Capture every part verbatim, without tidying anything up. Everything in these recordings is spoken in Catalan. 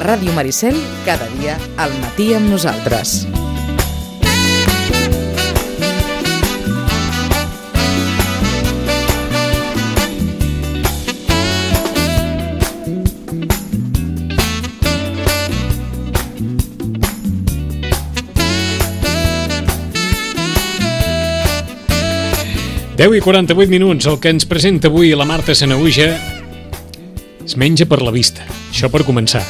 A Ràdio Maricel, cada dia al matí amb nosaltres. deu i quaranta-vuit minuts, el que ens presenta avui la Marta Sanahuja es menja per la vista, això per començar,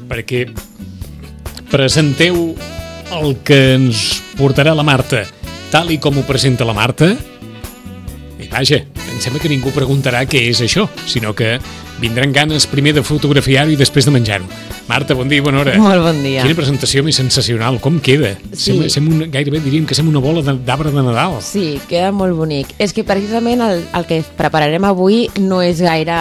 perquè presenteu el que ens portarà la Marta tal i com ho presenta la Marta, i vaja, em sembla que ningú preguntarà què és això, sinó que vindran ganes primer de fotografiar-ho i després de menjar-ho. Marta, bon dia i bona hora. Molt bon dia. Quina presentació més sensacional, com queda? Sí. Sembla, sembla un, gairebé diríem que sembla una bola d'arbre de Nadal. Sí, queda molt bonic. És que precisament el, el que prepararem avui no és gaire...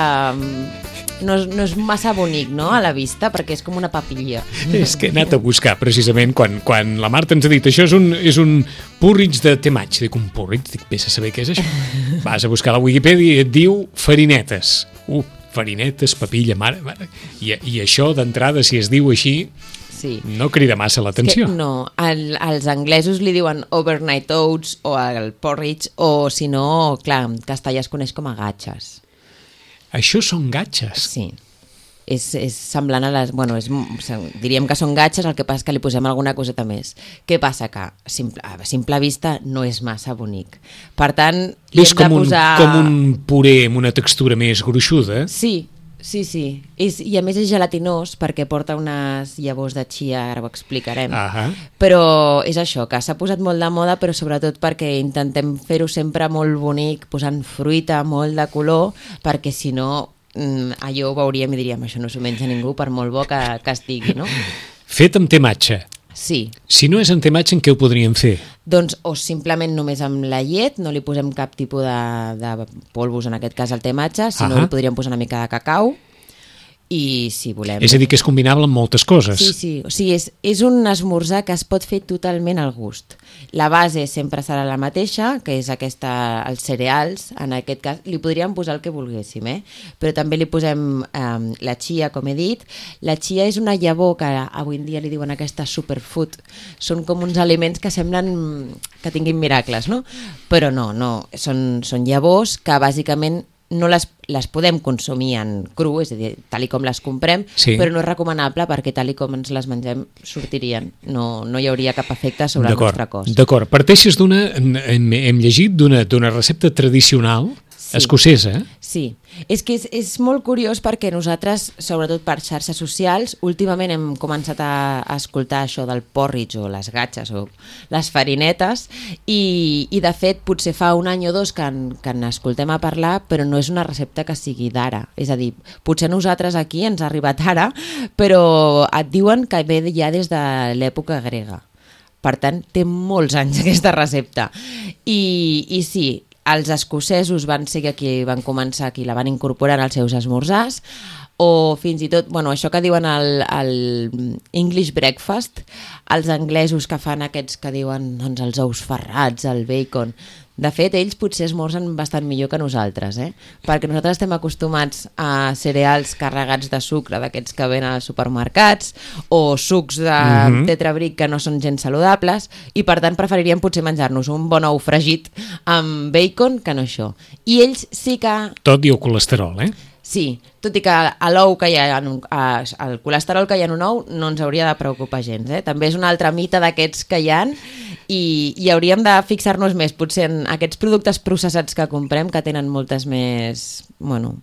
No és, no és massa bonic, no?, a la vista, perquè és com una papilla. És que he anat a buscar, precisament, quan, quan la Marta ens ha dit això és un, és un porridge de tematge. Dic, un porridge? Dic, vés a saber què és això. Vas a buscar a la Wikipedia i et diu farinetes. Uh, farinetes, papilla, mare, mare. I, i això, d'entrada, si es diu així, sí, no crida massa l'atenció. No, el, els anglesos li diuen overnight oats o el porridge, o si no, clar, en castellà es coneix com a gatxes. Això són gatxes? Sí. És, és semblant a les... Bueno, és, diríem que són gatxes, el que passa és que li posem alguna coseta més. Què passa? Que simple, a simple vista no és massa bonic. Per tant, li és hem de com posar... Un, com un puré amb una textura més gruixuda? Sí, sí, sí. És, i a més és gelatinós perquè porta unes llavors de chia, ara ho explicarem. Ah, però és això, que s'ha posat molt de moda, però sobretot perquè intentem fer-ho sempre molt bonic, posant fruita, molt de color, perquè si no... allò ho veuríem i diríem això no s'ho menja ningú per molt bo que, que estigui, no? Fet amb tematge. Sí. Si no és amb tematge, en què ho podríem fer? Doncs o simplement només amb la llet, no li posem cap tipus de, de polvos, en aquest cas el tematge, si no li podríem posar una mica de cacau. I si volem... És a dir, que és combinable amb moltes coses. Sí, sí, o sigui, és, és un esmorzar que es pot fer totalment al gust. La base sempre serà la mateixa, que és aquesta, els cereals, en aquest cas, li podríem posar el que volguéssim, eh? Però també li posem eh, la chia, com he dit. La chia és una llavor que avui en dia li diuen aquesta superfood. Són com uns aliments que semblen que tinguin miracles, no? Però no, no, són, són llavors que bàsicament no les, les podem consumir en cru, és a dir, tal i com les comprem, sí, però no és recomanable perquè tal i com ens les mengem sortirien. No, no hi hauria cap efecte sobre el nostre cos. D'acord, parteixes d'una, hem, hem llegit d'una, d'una recepta tradicional, sí, escocesa. Sí, és que és, és molt curiós perquè nosaltres, sobretot per xarxes socials, últimament hem començat a, a escoltar això del porridge o les gatxes o les farinetes i, i de fet potser fa un any o dos que, en, que n'escoltem a parlar, però no és una recepta que sigui d'ara. És a dir, potser nosaltres aquí ens ha arribat ara, però et diuen que ve ja des de l'època grega. Per tant, té molts anys aquesta recepta. I, i sí, els escocesos van ser qui van començar, qui la van incorporar als seus esmorzars, o fins i tot, bueno, això que diuen el, el English breakfast, els anglesos que fan aquests que diuen doncs, els ous ferrats, el bacon. De fet, ells potser esmorzen bastant millor que nosaltres, eh? Perquè nosaltres estem acostumats a cereals carregats de sucre, d'aquests que venen als supermercats, o sucs de mm-hmm. tetrabric que no són gens saludables, i per tant preferiríem potser menjar-nos un bon ou fregit amb bacon que no això. I ells sí que... Tot i el colesterol, eh? Sí, tot i que a l'ou que hi ha en un, a, el colesterol que hi ha en un ou no ens hauria de preocupar gens, eh? També és un altre mite d'aquests que hi ha i, i hauríem de fixar-nos més potser en aquests productes processats que comprem que tenen moltes més... bueno,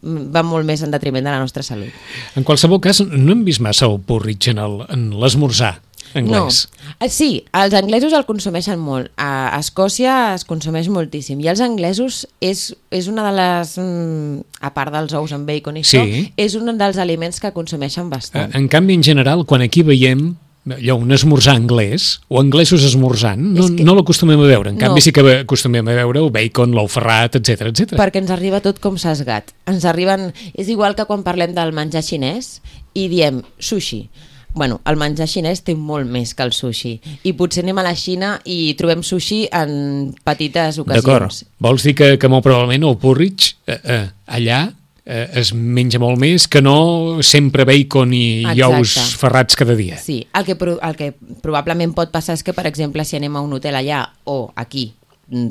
van molt més en detriment de la nostra salut. En qualsevol cas, no hem vist massa el porridge en l'esmorzar anglès. No. Sí, els anglesos el consumeixen molt. A Escòcia es consumeix moltíssim. I els anglesos és, és una de les... A part dels ous amb bacon i sí, això, és un dels aliments que consumeixen bastant. En canvi, en general, quan aquí veiem allò, un esmorzar anglès, o anglesos esmorzant, no, que... no l'acostumem a veure. En canvi, no, sí que acostumem a veure el bacon, l'ou ferrat, etcètera, etcètera. Perquè ens arriba tot com sesgat. Ens arriben... És igual que quan parlem del menjar xinès i diem sushi. Bueno, el menjar xinès té molt més que el sushi i potser anem a la Xina i trobem sushi en petites ocasions. D'acord. Vols dir que, que molt probablement el porridge eh, eh, allà eh, es menja molt més que no sempre bacon i, i ous ferrats cada dia. Sí, el que, el que probablement pot passar és que, per exemple, si anem a un hotel allà o aquí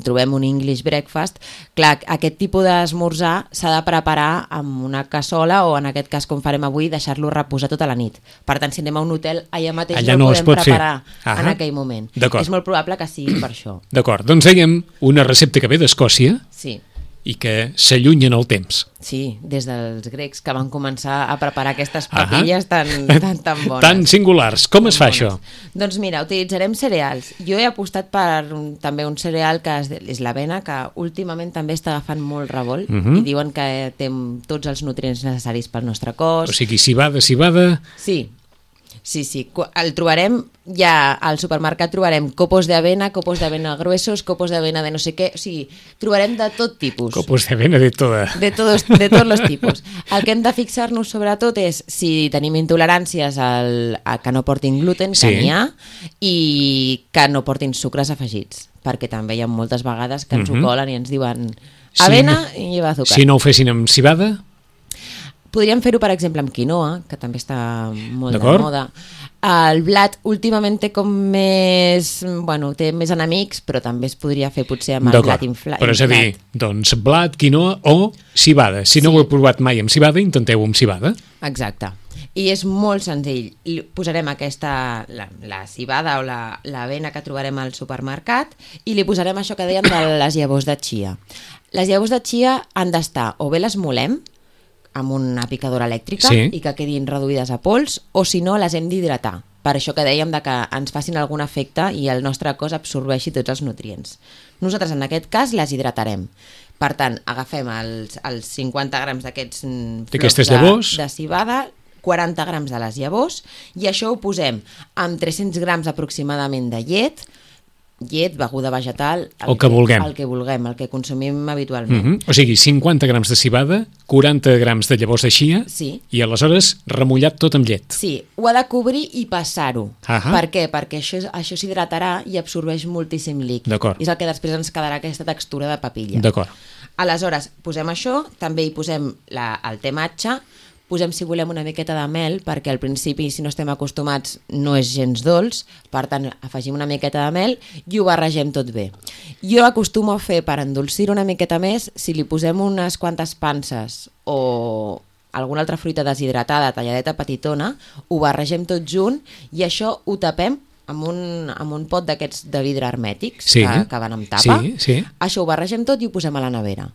trobem un English breakfast, clar, aquest tipus d'esmorzar s'ha de preparar amb una cassola o, en aquest cas, com farem avui, deixar-lo reposar tota la nit. Per tant, si anem a un hotel, allà mateix allà no, no el podem preparar en aquell moment. És molt probable que sigui per això. D'acord, doncs dèiem una recepta que ve d'Escòcia. Sí. I que s'allunya en el temps. Sí, des dels grecs que van començar a preparar aquestes papilles tan, tan, tan bones. Tan singulars. Com tan es fa bones. Això? Doncs mira, utilitzarem cereals. Jo he apostat per un, també un cereal que és, és l'avena, que últimament també està agafant molt revolt uh -huh. i diuen que té tots els nutrients necessaris pel nostre cos. O sigui, cibada, cibada... Sí. Sí, sí, el trobarem, ja al supermercat trobarem copos d'avena, copos d'avena gruesos, copos d'avena de no sé què, o sigui, trobarem de tot tipus. Copos d'avena de toda. De, todos, de tots els tipus. El que hem de fixar-nos sobretot és si tenim intoleràncies al, a que no portin gluten, que sí. n'hi ha, i que no portin sucres afegits, perquè també hi ha moltes vegades que ens uh -huh. ho colen i ens diuen avena si no, i lleva azúcar. Si no ho fessin amb cibada... Podríem fer-ho, per exemple, amb quinoa, que també està molt de moda. El blat últimament té com més... Bueno, té més enemics, però també es podria fer potser amb el blat inflat. Però és a dir, doncs blat, quinoa o cibada. Si sí. no ho heu provat mai amb cibada, intenteu amb cibada. Exacte. I és molt senzill. Posarem aquesta, la, la cibada o la, l'avena que trobarem al supermercat i li posarem això que dèiem de les llavors de chia. Les llavors de chia han d'estar, o bé les molem, amb una picadora elèctrica sí. i que quedin reduïdes a pols, o si no les hem d'hidratar, per això que dèiem de que ens facin algun efecte i el nostre cos absorbeixi tots els nutrients. Nosaltres en aquest cas les hidratarem. Per tant, agafem els, els cinquanta grams d'aquests flocs de, de cibada, quaranta grams de les llavors, i això ho posem amb tres-cents grams aproximadament de llet, llet, beguda vegetal, el, el que vulguem, el que vulguem, el que consumim habitualment. Uh -huh. O sigui, cinquanta grams de cibada, quaranta grams de llavors de chia sí. i aleshores remullat tot amb llet. Sí, ho ha de cobrir i passar-ho. Uh -huh. Per què? Perquè això, això s'hidratarà i absorbeix moltíssim líquid. D'acord. I és el que després ens quedarà aquesta textura de papilla. D'acord. Aleshores, posem això, també hi posem la, el te matxa, posem, si volem, una miqueta de mel, perquè al principi, si no estem acostumats, no és gens dolç, per tant, afegim una miqueta de mel i ho barregem tot bé. Jo acostumo a fer, per endolcir una miqueta més, si li posem unes quantes panses o alguna altra fruita deshidratada, talladeta petitona, ho barregem tot junt i això ho tapem amb un, amb un pot d'aquests de vidre hermètics sí. que, que van amb tapa. Sí, sí. Això ho barregem tot i ho posem a la nevera.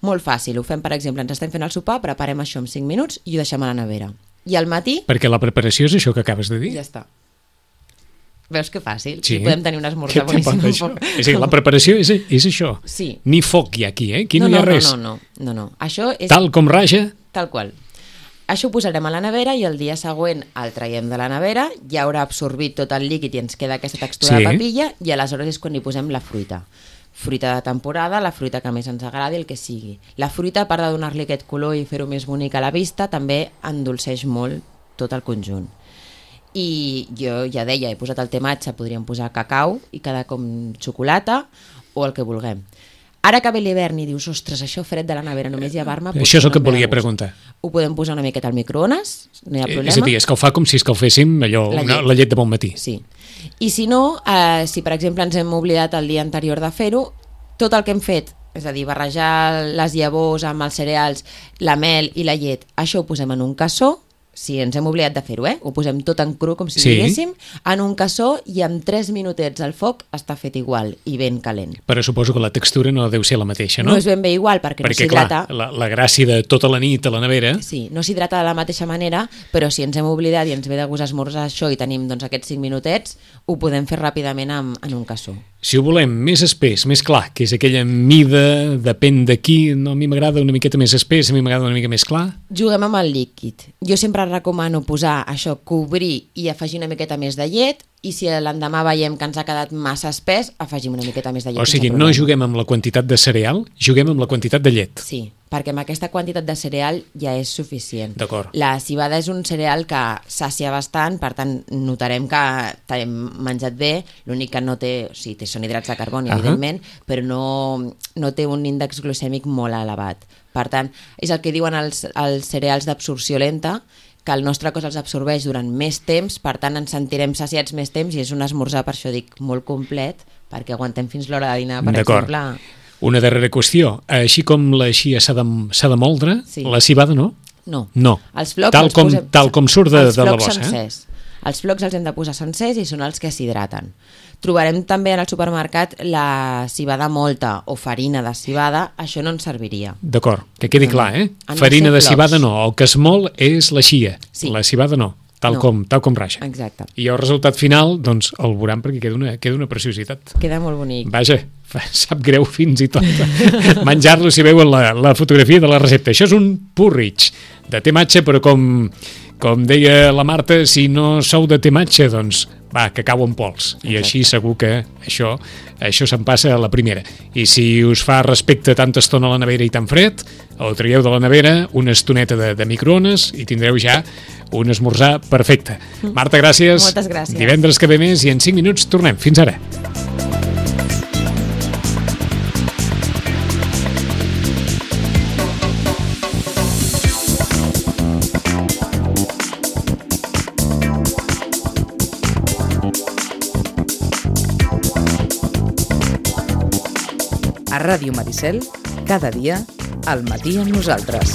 Molt fàcil, ho fem, per exemple, ens estem fent el sopar, preparem això en cinc minuts i ho deixem a la nevera. I al matí... Perquè la preparació és això que acabes de dir? Ja està. Veus que fàcil? Sí. I podem tenir un esmorzar boníssim. És a dir, la preparació és, és això. Sí. Ni foc hi ha aquí, eh? Aquí no, no, hi ha no, res. No, no, no, no. Això és... Tal com raja... Tal qual. Això ho posarem a la nevera i el dia següent el traiem de la nevera, ja haurà absorbit tot el líquid i ens queda aquesta textura sí. de papilla i aleshores és quan hi posem la fruita. Fruita de temporada, la fruita que més ens agradi, el que sigui. La fruita, a part de donar-li aquest color i fer-ho més bonic a la vista, també endolceix molt tot el conjunt. I jo ja deia, he posat el te matxa, podríem posar cacau i quedar com xocolata o el que vulguem. Ara que ve l'hivern i dius, ostres, això fred de la nevera, només llevar-me... Això és el que et volia preguntar. Ho podem posar una miqueta al microones, no hi ha problema. És a dir, escalfar com si escalféssim allò, la, llet. Una, la llet de bon matí. Sí. I si no, eh, si per exemple ens hem oblidat el dia anterior de fer-ho, tot el que hem fet, és a dir, barrejar les llavors amb els cereals, la mel i la llet, això ho posem en un cassó, si ens hem oblidat de fer-ho, eh? Ho posem tot en cru, com si sí. diguéssim, en un cassó i en tres minutets al foc està fet igual i ben calent. Però suposo que la textura no deu ser la mateixa, no? No és ben bé igual, perquè, perquè no s'hidrata. Perquè, clar, la, la gràcia de tota la nit a la nevera... Sí, no s'hidrata de la mateixa manera, però si ens hem oblidat i ens ve de gust esmorzar això i tenim doncs, aquests cinc minutets, ho podem fer ràpidament en, en un cassó. Si ho volem més espès, més clar, que és aquella mida, depèn de qui, no, a mi m'agrada una miqueta més espès, a mi m'agrada una mica més clar... Juguem amb el líquid. Jo sempre recomano posar això, cobrir i afegir una miqueta més de llet, i si l'endemà veiem que ens ha quedat massa espès, afegim una miqueta més de llet. O sigui, no juguem amb la quantitat de cereal, juguem amb la quantitat de llet. Sí, perquè amb aquesta quantitat de cereal ja és suficient. D'acord. La civada és un cereal que sacia bastant, per tant notarem que t'hem menjat bé, l'únic que no té, o sigui, té són hidrats de carboni, uh-huh. evidentment, però no, no té un índex glucèmic molt elevat. Per tant, és el que diuen els, els cereals d'absorció lenta, que el nostre cos els absorbeix durant més temps, per tant ens sentirem saciats més temps i és un esmorzar, per això dic, molt complet, perquè aguantem fins l'hora de dinar, per exemple. Una darrera qüestió. Així com la xia s'ha de, s'ha de moldre, sí. la civada no? No. No. Els flocs tal, els com, posem, tal com surt de, de la bossa. Sencers. Eh? Els flocs els hem de posar sencers i són els que s'hidraten. Trobarem també en el supermercat la civada molta o farina de civada, això no ens serviria. D'acord, que quedi clar, eh? Farina de civada no, el que es mol és la xia, sí. la civada no. Tal, no. com, tal com raja. Exacte. I el resultat final, doncs, el veuran perquè queda una, queda una preciositat. Queda molt bonic. Vaja, sap greu fins i tot menjar-lo si veuen la, la fotografia de la recepta. Això és un porridge de tematge, però com, com deia la Marta, si no sou de tematge, doncs va, que cau en pols. I Exacte. Així segur que això, això se'n passa a la primera. I si us fa respecte tanta estona a la nevera i tan fred, el traieu de la nevera, una estoneta de, de microones i tindreu ja un esmorzar perfecte. Marta, gràcies. Moltes gràcies. Divendres que ve més i en cinc minuts tornem. Fins ara. A Ràdio Maricel, cada dia, al matí amb nosaltres.